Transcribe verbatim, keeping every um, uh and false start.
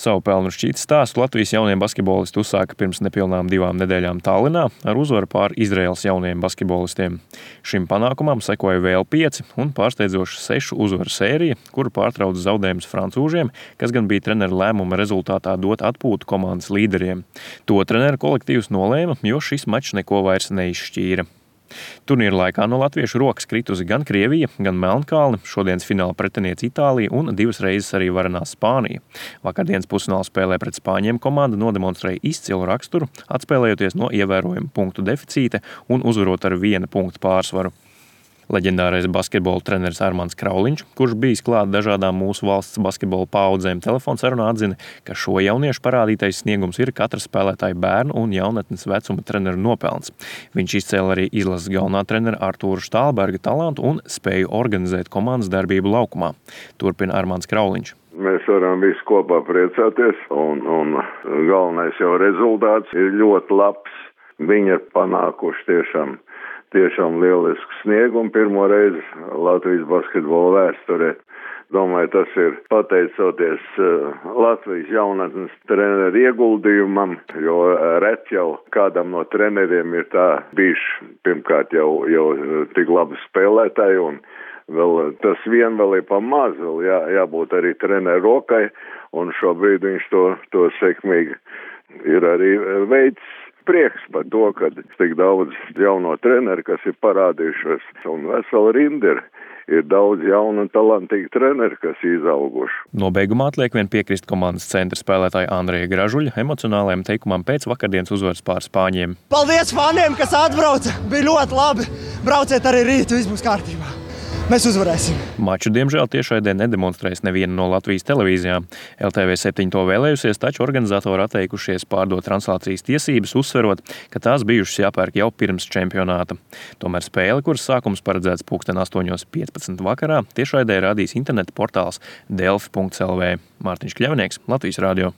Savu pelnu šķītas stāstu Latvijas jaunie basketbolisti uzsāka pirms nepilnām divām nedēļām Tallinā ar uzvaru pār Izraēlas jauniem basketbolistiem. Šim panākumam sekoja vēl pieci un pārsteidzoša sešu uzvaru sērija, kuru pārtrauca zaudējums francūžiem, kas gan bija treneru lēmuma rezultātā dot atpūtu komandas līderiem. To treneru kolektīvs nolēma, jo šis mačs neko vairs neizšķīra. Turnīra laikā no latviešu rokas kritusi gan Krievija, gan Melnkalne, šodienas fināla pretiniece Itālija un divas reizes arī varenās Spānija. Vakardienas pusfināla spēlē pret spāņiem komanda nodemonstrēja izcilu raksturu, atspēlējoties no ievērojama punktu deficīta un uzvarot ar viena punkta pārsvaru. Leģendārais basketbola treneris Armands Krauliņš, kurš bijis klāt dažādām mūsu valsts basketbola paudzēm, telefonsarunā atzina, ka šo jauniešu parādītais sniegums ir katra spēlētāja bērnu un jaunatnes vecuma treneru nopelns. Viņš izcēla arī izlases galvenā trenera Artūra Štālberga talantu un spēju organizēt komandas darbību laukumā. Turpina Armands Krauliņš. Mēs varam visi kopā priecāties, un, un galvenais jau rezultāts ir ļoti labs. Viņi ir panākuši tiešām Tiešām lielisku sniegumu pirmo reizi Latvijas basketbola vēsturē. Domāju, tas ir pateicoties Latvijas jaunatnes treneru ieguldījumam, jo ret jau kādam no treneriem ir tā bijuši pirmkārt jau, jau tik labi spēlētāji, un vēl tas vien vēl ir pa maz, vēl jā, jābūt arī treneru rokai, un šobrīd viņš to, to sekmīgi ir arī veids. Prieks par to, ka tik daudz jauno treneru, kas ir parādījušies, un vesela rinda ir, ir daudz jaunu un talantīgi treneri, kas izauguši. Nobeigumā atliek vien piekrist komandas centra spēlētāja Andreja Gražuļa emocionālajam teikumam pēc vakardienas uzvaras pār spāņiem. Paldies faniem, kas atbrauca! Bija ļoti labi! Brauciet arī rīt, viss būs kārtībā! Mēs uzvarēsim! Maču, diemžēl, tiešraidē nedemonstrēs neviena no Latvijas televīzijām. L T V septiņi to vēlējusies, taču organizatori atteikušies pārdot translācijas tiesības, uzsverot, ka tās bijušas jāpērk jau pirms čempionāta. Tomēr spēle, kuras sākums paredzēts pulksten astoņos piecpadsmit vakarā, tiešraidē rādīs interneta portāls delfi punkts l v. Mārtiņš Kļavnieks, Latvijas radio.